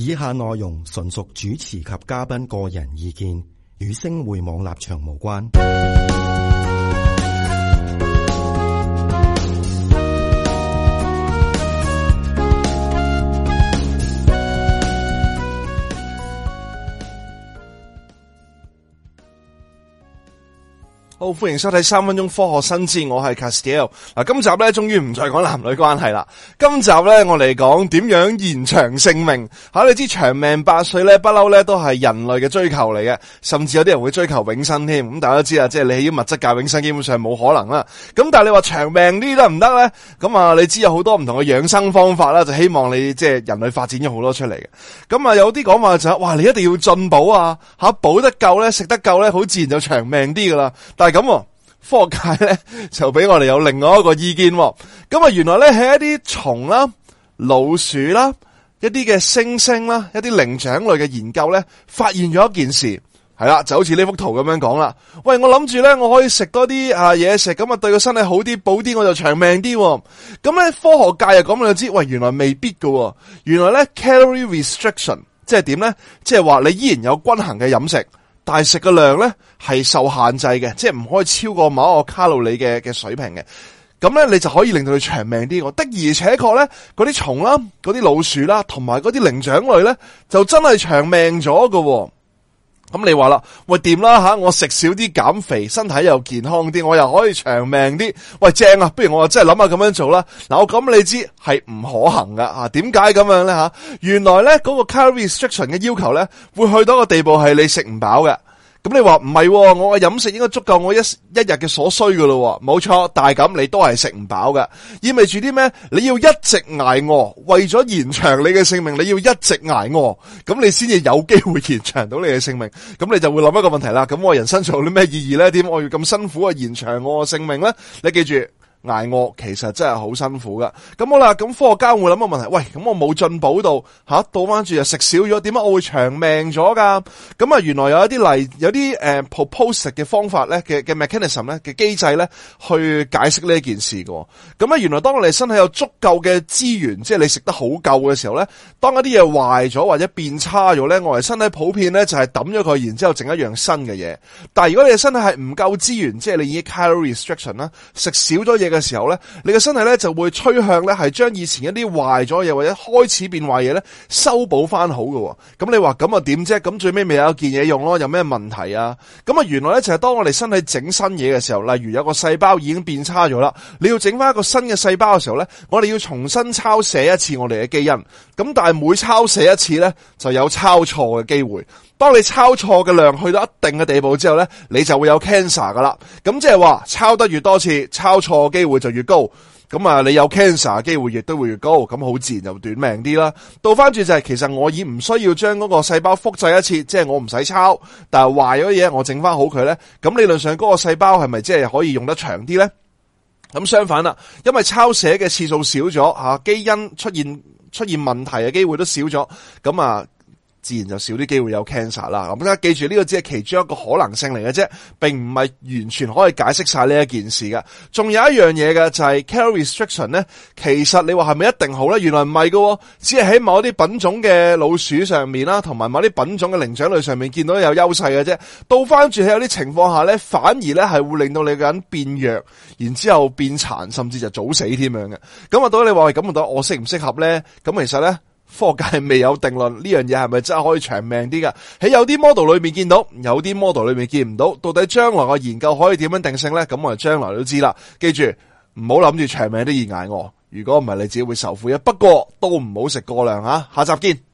以下內容純屬主持及嘉賓個人意見，與星匯網立場無關。好，歡迎收睇3分鐘科學新知，我係 Castiel。今集咧終於唔再講男女關係啦。今集咧我嚟講點樣延長性命。你知長命百歲咧，不嬲咧都係人類嘅追求嚟嘅，甚至有啲人會追求永生添。咁大家都知啦，即係你喺物質界永生基本上冇可能啦。咁但係你話長命啲得唔得咧？咁你知有好多唔同嘅養生方法啦，就希望你即係人類發展咗好多出嚟嘅。咁有啲講法就係哇，你一定要進補啊，補得夠咧，食得夠咧，好自然就長命啲噶啦。但係咁，科學界咧就俾我哋有另外一個意見。咁原來咧喺一啲蟲啦、老鼠啦、一啲嘅猩猩啦、一啲靈長類嘅研究咧，發現咗一件事，係啦，就好似呢幅圖咁樣講啦。喂，我諗住咧我可以食多啲嘢食，咁對個身體好啲，補啲我就長命啲。咁咧科學界又講就知，喂，原來未必噶。原來咧 calorie restriction 即係點咧？即係話你依然有均衡嘅飲食，但係食嘅量咧係受限制嘅，即係唔可以超過某一個卡路里嘅水平嘅。咁咧你就可以令到佢長命啲。的而且確咧，嗰啲蟲啦、嗰啲老鼠啦，同埋嗰啲靈長類咧，就真係長命咗喎。咁你話啦，喂，掂啦我食少啲減肥，身體又健康啲，我又可以長命啲。喂，正啊！不如我真係諗下咁樣做啦。我咁你知係唔可行噶。點解咁樣咧？原來咧嗰個 calorie restriction 嘅要求咧，會去到一個地步係你食唔飽嘅。咁你話唔係，我嘅飲食應該足夠我一日嘅所需噶咯。冇錯，但係咁你都係食唔飽嘅，意味住啲咩？你要一直挨餓，為咗延長你嘅性命，你要一直挨餓，咁你先至有機會延長到你嘅性命。咁你就會諗一個問題啦，咁我人生仲有啲咩意義咧？點我要咁辛苦延長我嘅性命咧？你記住，挨餓其實真係好辛苦噶。咁好啦，咁科學家會諗個問題，喂，咁我冇進補到倒翻住又食少咗，點解我會長命咗噶？咁原來有一啲有啲proposed 嘅方法咧嘅 mechanism 咧嘅機制咧去解釋呢一件事嘅。咁原來當我哋身體有足夠嘅資源，即係你食得好夠嘅時候咧，當一啲嘢壞咗或者變差咗咧，我哋身體普遍咧就係抌咗佢，然之後整一樣新嘅嘢。但係如果你嘅身體係唔夠資源，即係你已經 calorie restriction 啦，食少咗嘢嘅時候咧，你嘅身體咧就會趨向咧係將以前一啲壞咗嘢或者開始變壞嘢咧修補翻好嘅。咁你話咁點啫？咁最尾咪有一件嘢用咯，有咩問題啊？咁原來咧就係當我哋身體整新嘢嘅時候，例如有個細胞已經變差咗啦，你要整翻一個新嘅細胞嘅時候咧，我哋要重新抄寫一次我哋嘅基因。咁但係每抄寫一次咧，就有抄錯嘅機會。當你抄錯嘅量去到一定嘅地步之後咧，你就會有 cancer 噶啦。咁即係話抄得越多次，抄錯嘅機會就越高。咁你有 cancer 嘅機會亦都會越高。咁好自然就短命啲啦。倒翻轉就係，其實我已唔需要將嗰個細胞複製一次，即係我唔使抄，但係壞咗嘢我整翻好佢咧。咁理論上嗰個細胞係咪即係可以用得長啲咧？咁相反啦，因為抄寫嘅次數少咗，基因出現問題嘅機會都少咗。咁自然就少啲機會有 cancer 啦。咁大家記住呢個只係其中一個可能性嚟嘅啫，並唔係完全可以解釋晒呢一件事嘅。仲有一樣嘢嘅就係 calorie restriction 咧，其實你話係咪一定好咧？原來唔係喎，只係喺某啲品種嘅老鼠上面啦，同埋某啲品種嘅靈長類上面見到有優勢嘅啫。倒翻轉喺有啲情況下咧，反而咧係會令到你個人變弱，然之後變殘，甚至就早死添樣嘅。咁到底你話咁到底我適唔適合咧？咁其實咧，科學界未有定論，呢樣嘢係咪真係可以長命啲噶？喺有啲 model 裏面見到，有啲 model 裏面見唔到。到底將來嘅研究可以點樣定性咧？咁我哋將來都知啦。記住，唔好諗住長命都易挨餓，如果唔係你自己會受苦嘅。不過都唔好食過量吓。下集見。